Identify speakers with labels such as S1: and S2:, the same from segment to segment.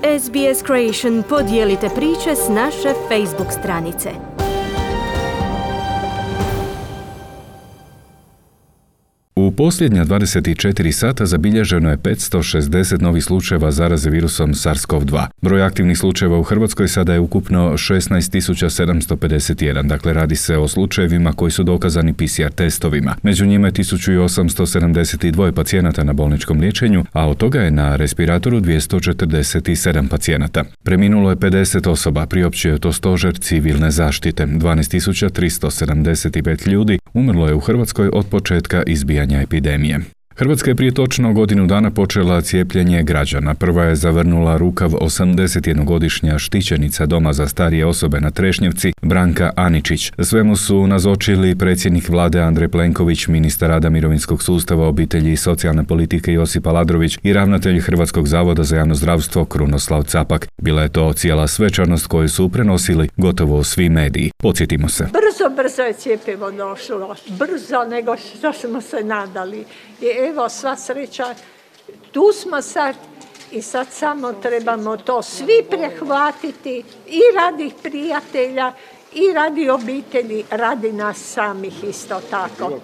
S1: SBS Creation podijelite priče s naše Facebook stranice.
S2: U posljednja 24 sata zabilježeno je 560 novih slučajeva zaraze virusom SARS-CoV-2. Broj aktivnih slučajeva u Hrvatskoj sada je ukupno 16.751, dakle radi se o slučajevima koji su dokazani PCR testovima. Među njima je 1872 pacijenata na bolničkom liječenju, a od toga je na respiratoru 247 pacijenata. Preminulo je 50 osoba, priopćio je to stožer civilne zaštite. 12.375 ljudi umrlo je u Hrvatskoj od početka izbijanja epidemije. Hrvatska je prije točno godinu dana počela cijepljenje građana. Prva je zavrnula rukav 81-godišnja štićenica Doma za starije osobe na Trešnjevci, Branka Aničić. Svemu su nazočili predsjednik vlade Andrej Plenković, ministar rada, mirovinskog sustava, obitelji i socijalne politike Josip Aladrović i ravnatelj Hrvatskog zavoda za javno zdravstvo Krunoslav Capak. Bila je to cijela svečanost koju su prenosili gotovo svi mediji. Podsjetimo se.
S3: Brzo je cjepivo došlo. Brzo nego što smo se nadali. I evo, sva sreća, tu smo sad i sad samo trebamo to svi prehvatiti i radi prijatelja i radi obitelji, radi nas samih isto tako.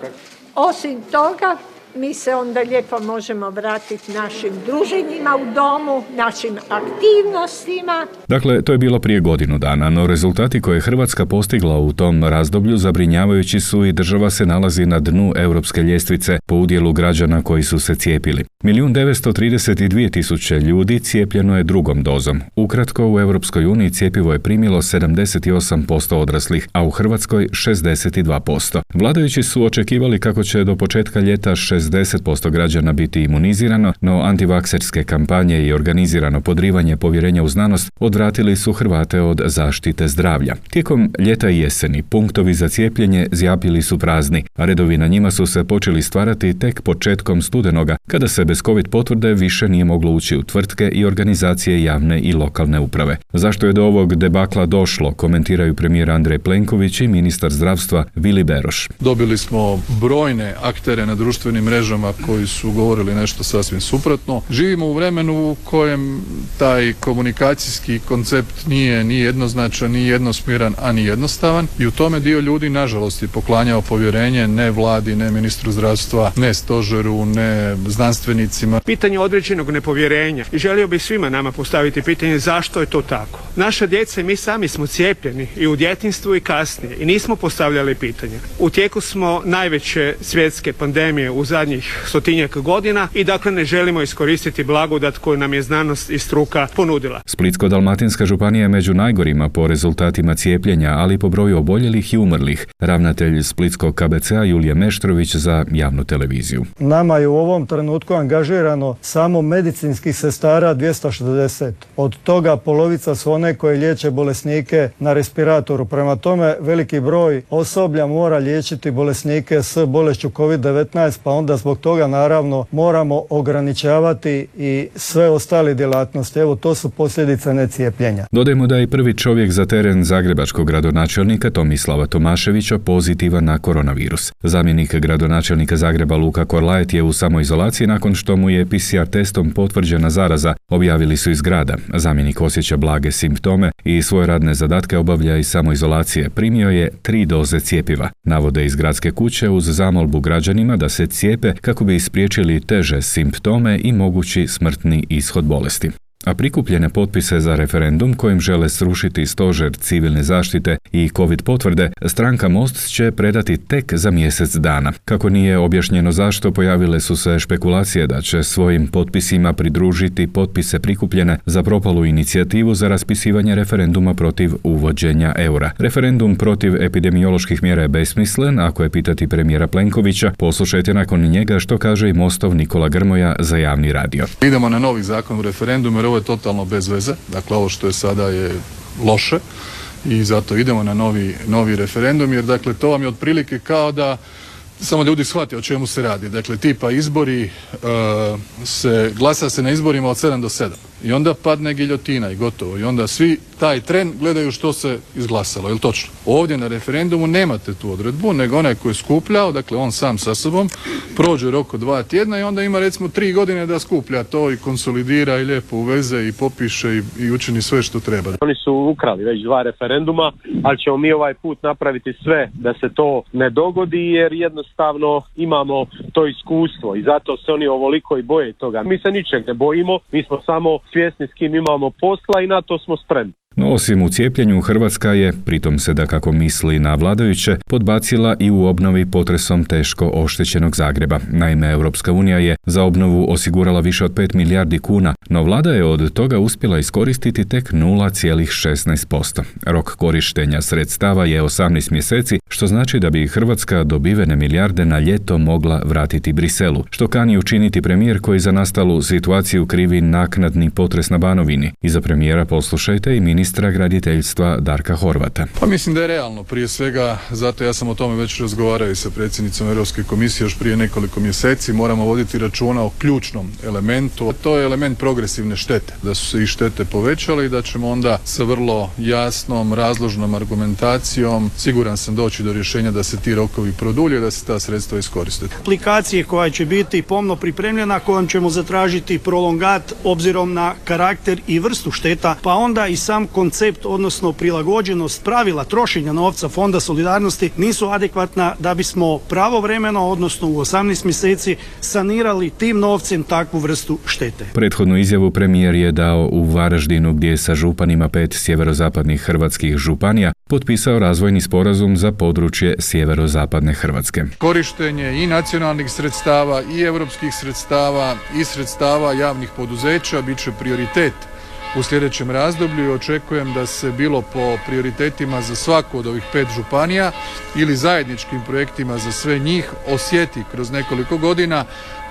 S3: Osim toga, mi se onda lijepo možemo vratiti našim druženjima u domu, našim aktivnostima.
S2: Dakle, to je bilo prije godinu dana, no rezultati koje je Hrvatska postigla u tom razdoblju zabrinjavajući su i država se nalazi na dnu europske ljestvice po udjelu građana koji su se cijepili. 1.932.000 ljudi cijepljeno je drugom dozom. Ukratko, u Europskoj uniji cjepivo je primilo 78% odraslih, a u Hrvatskoj 62%. Vladajući su očekivali kako će do početka ljeta 60% građana biti imunizirano, no antivakserske kampanje i organizirano podrivanje povjerenja u znanost odvratili su Hrvate od zaštite zdravlja. Tijekom ljeta i jeseni punktovi za cijepljenje zjapili su prazni, a redovi na njima su se počeli stvarati tek početkom studenoga, kada se bez COVID potvrde više nije moglo ući u tvrtke i organizacije javne i lokalne uprave. Zašto je do ovog debakla došlo, komentiraju premijer Andrej Plenković i ministar zdravstva Vili Beroš.
S4: Dobili smo brojne aktere na društvenim mrežama koji su govorili nešto sasvim suprotno. Živimo u vremenu u kojem taj komunikacijski koncept nije ni jednoznačan, ni jednosmjeran, a ni jednostavan i u tome dio ljudi nažalost je poklanjao povjerenje ne vladi, ne ministru zdravstva, ne stožeru, ne znanstvenicima.
S5: Pitanje određenog nepovjerenja i želio bih svima nama postaviti pitanje zašto je to tako. Naša djeca i mi sami smo cijepljeni i u djetinjstvu i kasnije i nismo postavljali pitanje. U tijeku smo najveće svjetske pandemije u zadnjih 100-tinjak godina i dakle ne želimo iskoristiti blagodat koju nam je znanost i struka ponudila.
S2: Splitsko-dalmatinska županija je među najgorima po rezultatima cijepljenja, ali po broju oboljelih i umrlih. Ravnatelj Splitskog KBC-a Julije Meštrović za javnu televiziju.
S6: Nama je u ovom trenutku angažirano samo medicinskih sestara 260. Od toga polovica su one koje liječe bolesnike na respiratoru. Prema tome, veliki broj osoblja mora liječiti bolesnike s bolešću COVID-19, pa onda zbog toga naravno moramo ograničavati i sve ostale djelatnosti. Evo, to su posljedice necijepljenja.
S2: Dodajmo da je prvi čovjek za teren zagrebačkog gradonačelnika Tomislava Tomaševića pozitivan na koronavirus. Zamjenik gradonačelnika Zagreba Luka Korlajet je u samoizolaciji nakon što mu je PCR testom potvrđena zaraza, objavili su iz grada. Zamjenik osjeća blage simptome i svoje radne zadatke obavlja iz samoizolacije. Primio je 3 doze cjepiva. Navode iz gradske kuće uz zamolbu građanima da se cijepe kako bi spriječili teže simptome i mogući smrtni ishod bolesti. A prikupljene potpise za referendum kojim žele srušiti stožer civilne zaštite i COVID potvrde, stranka Most će predati tek za mjesec dana. Kako nije objašnjeno zašto, pojavile su se špekulacije da će svojim potpisima pridružiti potpise prikupljene za propalu inicijativu za raspisivanje referenduma protiv uvođenja eura. Referendum protiv epidemioloških mjera je besmislen, ako je pitati premijera Plenkovića. Poslušajte nakon njega što kaže i Mostov Nikola Grmoja za javni radio.
S4: Idemo na novi zakon o referendumu jer ovo je totalno bez veze. Dakle, ovo što je sada je loše i zato idemo na novi referendum jer dakle to vam je otprilike kao da samo ljudi shvate o čemu se radi. Dakle, tipa izbori, glasa se na izborima od 7 do 7. I onda padne giljotina i gotovo. I onda svi taj tren gledaju što se izglasalo. Je li točno? Ovdje na referendumu nemate tu odredbu, nego onaj koji je skupljao, dakle on sam sa sobom, prođe rok od 2 tjedna i onda ima recimo 3 godine da skuplja to i konsolidira i lijepo uveze i popiše i učini sve što treba.
S7: Oni su ukrali već 2 referenduma, ali ćemo mi ovaj put napraviti sve da se to ne dogodi, jer jednostavno imamo to iskustvo i zato se oni ovoliko i boje toga. Mi se ničeg ne bojimo, mi smo samo svjesni s kim imamo posla i na to smo spremni.
S2: No, osim u cijepljenju, Hrvatska je, pritom se da kako misli na vladajuće, podbacila i u obnovi potresom teško oštećenog Zagreba. Naime, Europska unija je za obnovu osigurala više od 5 milijardi kuna, no vlada je od toga uspjela iskoristiti tek 0,16%. Rok korištenja sredstava je 18 mjeseci, što znači da bi Hrvatska dobivene milijarde na ljeto mogla vratiti Briselu, što kani učiniti premijer koji za nastalu situaciju krivi naknadni potres na Banovini. Iza premijera poslušajte i ministra graditeljstva Darka Horvata.
S4: Pa mislim da je realno, prije svega, zato ja sam o tome već razgovarao i sa predsjednicom Europske komisije još prije nekoliko mjeseci, moramo voditi računa o ključnom elementu, a to je element progresivne štete, da su se i štete povećale i da ćemo onda sa vrlo jasnom, razložnom argumentacijom, siguran sam, doći do rješenja da se ti rokovi produlje, da se ta sredstva iskoriste.
S8: Aplikacije koja će biti pomno pripremljena, kojom ćemo zatražiti prolongat obzirom na karakter i vrstu šteta, pa onda i sam koncept, odnosno prilagođenost pravila trošenja novca Fonda solidarnosti nisu adekvatna da bismo pravovremeno, odnosno u 18 mjeseci sanirali tim novcem takvu vrstu štete.
S2: Prethodnu izjavu premijer je dao u Varaždinu, gdje je sa županima 5 sjeverozapadnih hrvatskih županija potpisao razvojni sporazum za područje sjeverozapadne Hrvatske.
S4: Korištenje i nacionalnih sredstava i europskih sredstava i sredstava javnih poduzeća bit će prioritet u sljedećem razdoblju i očekujem da se bilo po prioritetima za svaku od ovih 5 županija ili zajedničkim projektima za sve njih osjeti kroz nekoliko godina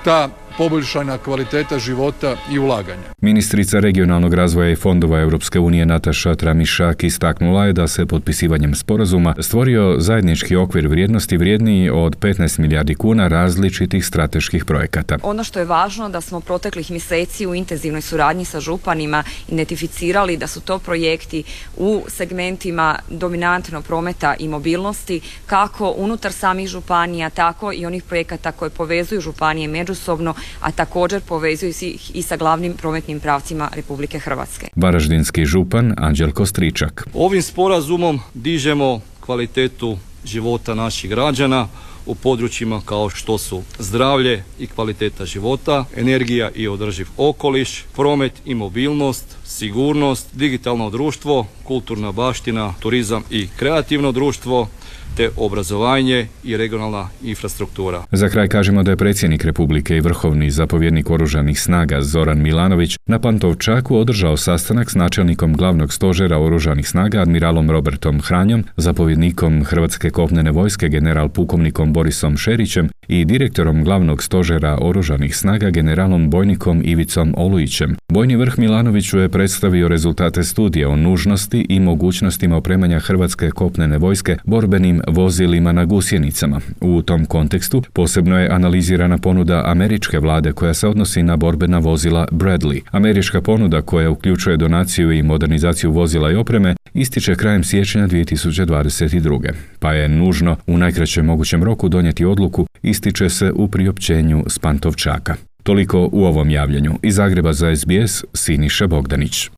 S4: ta poboljšana kvaliteta života i ulaganja.
S2: Ministrica regionalnog razvoja i fondova Europske unije Nataša Tramišak istaknula je da se potpisivanjem sporazuma stvorio zajednički okvir vrijednosti vrijedniji od 15 milijardi kuna različitih strateških projekata.
S9: Ono što je važno da smo proteklih mjeseci u intenzivnoj suradnji sa županima identificirali da su to projekti u segmentima dominantno prometa i mobilnosti, kako unutar samih županija, tako i onih projekata koje povezuju županije međusobno, a također povezuju ih i sa glavnim prometnim pravcima Republike Hrvatske.
S2: Varaždinski župan Anđelko Stričak.
S10: Ovim sporazumom dižemo kvalitetu života naših građana u područjima kao što su zdravlje i kvaliteta života, energija i održiv okoliš, promet i mobilnost, sigurnost, digitalno društvo, kulturna baština, turizam i kreativno društvo, te obrazovanje i regionalna infrastruktura.
S2: Za kraj kažemo da je predsjednik Republike i vrhovni zapovjednik oružanih snaga Zoran Milanović na Pantovčaku održao sastanak s načelnikom glavnog stožera oružanih snaga admiralom Robertom Hranjom, zapovjednikom Hrvatske kopnene vojske general pukovnikom Borisom Šerićem i direktorom glavnog stožera oružanih snaga generalom bojnikom Ivicom Olujićem. Bojni vrh Milanoviću je predstavio rezultate studije o nužnosti i mogućnostima opremanja Hrvatske kopnene vojske borbenim vozilima na gusjenicama. U tom kontekstu posebno je analizirana ponuda američke vlade koja se odnosi na borbena vozila Bradley. Američka ponuda koja uključuje donaciju i modernizaciju vozila i opreme ističe krajem siječnja 2022. Pa je nužno u najkraćem mogućem roku donijeti odluku, ističe se u priopćenju s Pantovčaka. Toliko u ovom javljanju. Iz Zagreba za SBS, Siniša Bogdanić.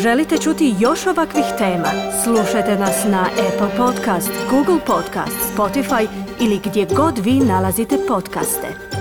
S1: Želite čuti još ovakvih tema? Slušajte nas na Apple Podcast, Google Podcast, Spotify ili gdje god vi nalazite podcaste.